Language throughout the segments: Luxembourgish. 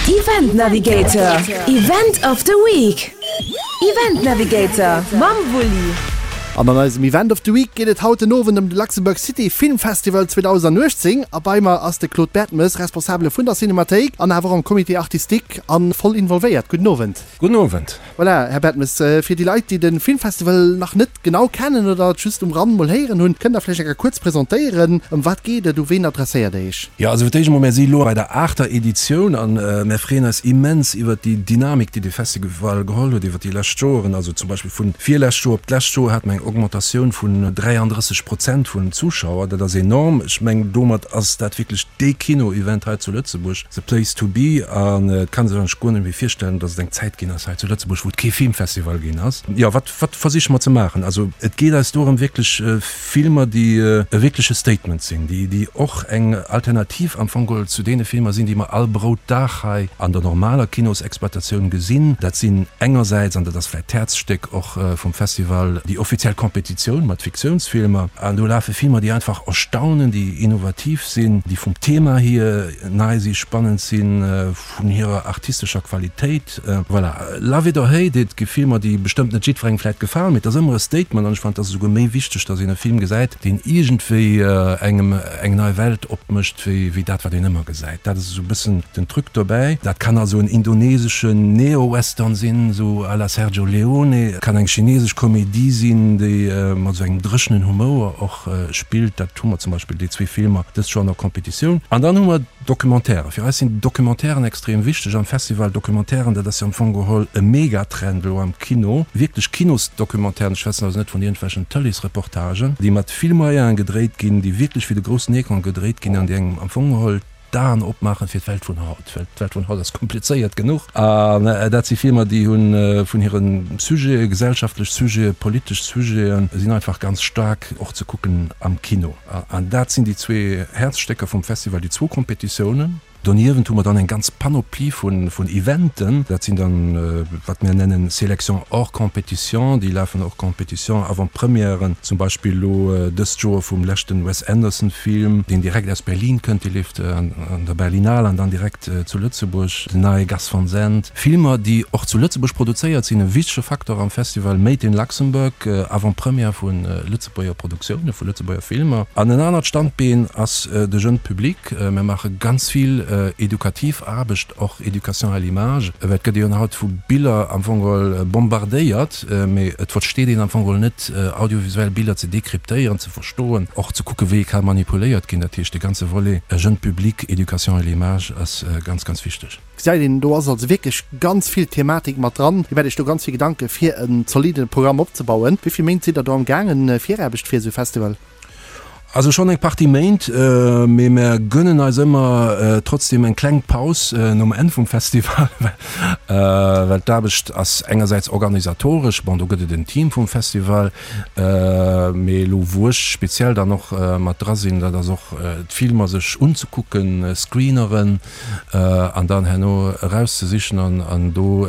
Event Navigator, Event of the Week! Event Navigator mam Wulli. An an eisem Event of the Week geet et haut den Owend ëm de Luxembourg City Film Festival 2018. A bei mer ass de Claude Bertemes, Responsabele vun der Cinemathéik an awer och am Comité Artistique a voll involvéiert. Gudden Owend. Gudden Owend. Voilà, Här Bertemes, fir déi Leit, déi de Filmfestival nach net genau kennen oder et just um Rand mol héieren hunn, kënnt Der vläicht eng Kéier kuerz presentéieren, ëm wat geet et, u ween adresséiert Der Iech? Jo, also fir d'éischt emol, mär si elo bei der aachter Editioun a mär freeën eis immens iwwert déi Dynamik, déi de Festival geholl huet iwwert déi lescht Joeren. Also zum Beispill vun virlescht Joer op d'lescht Joer hate mer eng Augmentatioun vun 33 Prozent vun Zuschauer. Dat ass enorm. Ech mengen, domat ass dat wierklech dee Kino-Event hei zu Lëtzebuerg. The place to be an et kann sech eigentlech guer net méi virstellen, datt et eng Zäit ginn ass hei zu Lëtzebuerg, wou et kee Filmfestival ginn ass. Jo, wat, wat versiche mer ze maachen? Also et geet eis dorëm wierklech Filmer, déi e wierkleche Statement sinn, déi, déi och eng Alternativ am Fong geholl zu deene Filmer sinn, déi mer all Broutdag hei an der normaler Kinosexploitatioun gesinn. Dat sinn engersäits, an dat ass vläicht d'Häerzstéck och vum Festival, déi offiziell Competitioun mat Fiktiounsfilmer. An do lafe Filmer, déi einfach erstaunen, déi innovativ sinn, déi vum Thema hier nei si, spannend sinn, vun hirer artistescher Qualitéit. Voilà, Love it or hate it, gi Filmer, déi bestëmmt net jiddwerengem vläit gefalen, mee et ass ëmmer e Statement an ech fannen, et ass esouguer méi wichteg, datt een e Film gesäit, deen iergendwéi engem eng nei Welt opmécht, wéi wéi dat, wat een ëmmer gesäit. Dat ass esou e bëssen den Truc dobäi. Dat kann also en indoneseschen Neo-Western sinn, esou à la Sergio Leone, et kann eng chinesesch Komedie sinn, déi mat esou engem dréchenen Humouer och spillt. Dat hu mer zum Beispill déi zwee Filmer dëst Joer an der Competitioun. An dann hu mer Documentairen. Fir eis sinn Documentairen extrem wichteg am Festival. Documentairen, dat ass jo am Fong geholl e Megatrend elo am Kino. Wierklech Kinosdocumentairen, ech schwätzen also net vun iergendwelchen Tëleesreportagen, déi mat vill Moyene gedréit ginn, déi wierklech fir de groussen Ecran gedréit ginn an déi engem am Fong geholl d'Aen opmaachen fir d'Welt vun haut, well d'Welt vun haut ass komplizéiert genuch. An dat si Filmer, déi hu vun hire Sujete, gesellschaftlech Sujete, politesch Sujeten, sinn einfach ganz staark och ze kucken am Kino. An dat sinn déi zwee Häerzstécker vum Festival, déi zwou Kompetitiounen. Doniewent hu mer dann eng ganz Panoplie vun Eventen. Dat sinn dann, wat mir nennen Sélection hors compétition. Déi lafen hors compétition, Avant-premièren, zum Beispill elo dëst Joer vum leschten Wes Anderson-Film, deen direkt aus Berlin kënnt, dee leeft an der Berlinale an dann direkt zu Lëtzebuerg, den neie Gus Van Sant. Filmer, déi och zu Lëtzebuerg produzéiert sinn, e wichtege Facteur am Festival Made in Luxembourg, Avant-première vu Lëtzebuerger Produktioune, vu Lëtzebuerger Filmer. An en anert Standbeen ass de Jeune Public. Mir maache ganz vill edukativ Aarbecht, och Éducation à l'image, well et gëtt een haut vu Biller am Fong geholl bombardéiert, mee et versteet een am Fong geholl net, audiovisuell Biller ze dekryptéieren, ze verstoen, och ze kucke wéi e ka manipuléiert ginn. Dat heescht, de ganze Volet Jeune Public, Éducation à l'image ass ganz, ganz wichteg. Gesäit een, do ass also wierklech ganz vill Thematik mat dran. Dir maacht Iech do ganz vill Gedanke fir en zolidde Programm opzebauen. Wéi vill Méint sidd Der do am gaangen, Viraarbecht fir esou e Festival? Also schonn eng Partie Méint, mee mär gönnen eis ëmmer trotzdem eng kleng Paus nom Enn vum Festival, well d'Aarbecht ass engersäits organisatoresch, bon do gëtt et en Team vum Festival, mee elo wou ech speziell dann och mat dra sinn, dat ass och d'Filmer sech unzekucken, Screeneren an dann herno erauszesichen an do,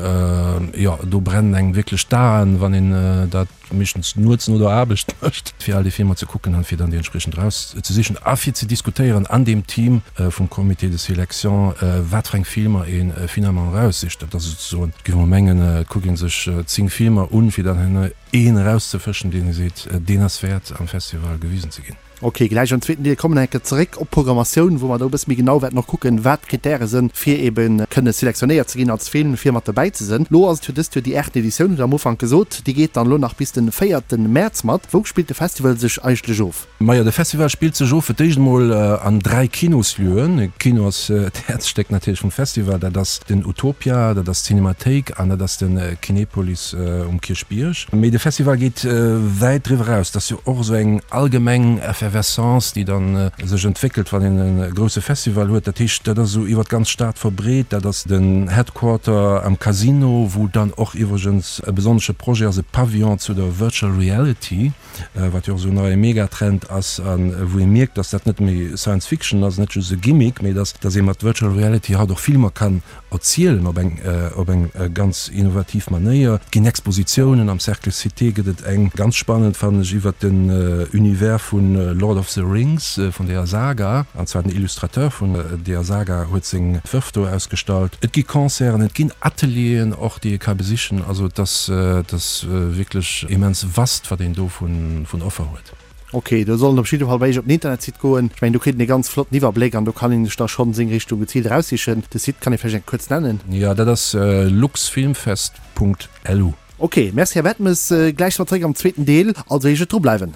jo do brennen engem wierklech d'Aen, wann een dat meeschtens nuets no der Aarbecht mécht, fir all déi Filmer ze kucken an fir dann déi entspriechend erauszesichen a fir ze diskutéieren an deem Team vum Comité de sélection, wat fir eng Filmer ee finalement eraussicht. Dat ass souzesoen, géif mer mengen, et kuckt ee sech 10 Filmer un, fir dann herno een erauszefëschen, deen ee seet, deen ass wäert am Festival gewisen ze ginn. Ok, gläich am zweeten Deel kommen eng Kéier zeréck op d'Programmatioun, wou mer do e bësse méi genau wäerten och kucken, wat d'Krittäre sënn, fir ebe kënne selektionéiert ze ginn als Film, fir mat dobäi ze sënn. Lo ass et jo dëst Joer déi aachten Editioun, hutt Der am Ufank gesot. Déi geet dann elo nach bis de véierten Mäerz mat. Wou spillt de Festival sech eigentlech of? Majo, de Festival spillt sech of fir d'éischt emol an 3 Kinoslieuën. E Kino ass d'Häerzstéck natierlech vum Festival, dat ass den Utopia, dat ass d'Cinémathéik an dat ass de Kinepolis um Kierchbierg. Mee de Festival geet wäit driwwer eraus. Et ass jo och esou eng allgemeng Effervescence, déi dann sech entwéckelt, wann een e grousse Festival huet. Dat heescht, dat ass esou iwwer d'ganz Stad verbreet. Dat ass den Headquarter am Casino, wou dann och iwwregens e besonnesche Projet ass, e Pavillon zu der Virtual Reality, wat jo och esou en neie Megatrend ass a wou ee mierkt, dass dat net méi Science Fiction ass, net just e Gimmick, mee dass dass ee mat Virtual Reality haut och Filmer kann erzielen op eng op eng ganz innovativ Manéier. Et ginn Expositiounen, am Cercle Cité gëtt et eng ganz spannend, fannen ech, iwwert den Univers vu. Lord of the Rings, vun deeër Saga, an zwar den Illustrateur vun deeër Saga huet seng Wërf do ausgestallt. Et gi Concerten, et ginn Atelieren och, déi ee ka besichen. Also et ass, et ass wierklech immens vast, wat een do vun Offer huet. Ok, do soll en op jidde Fall bei iech op den Internetsite goen. Ech mengen, do kritt een e ganz flotten Iwwerbléck an do kann een sech da schonn seng Richtung geziilt eraussichen. De Site kann ee vläicht eng kuerz nennen? Jo, dat ass luxfilmfest.lu. Ok, merci Här Bettmes. Gläich si mer zréck am zweeten Deel, also heescht et dru bleiwen.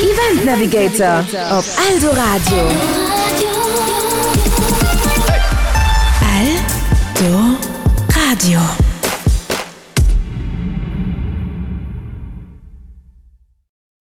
Event Navigator op Eldoradio.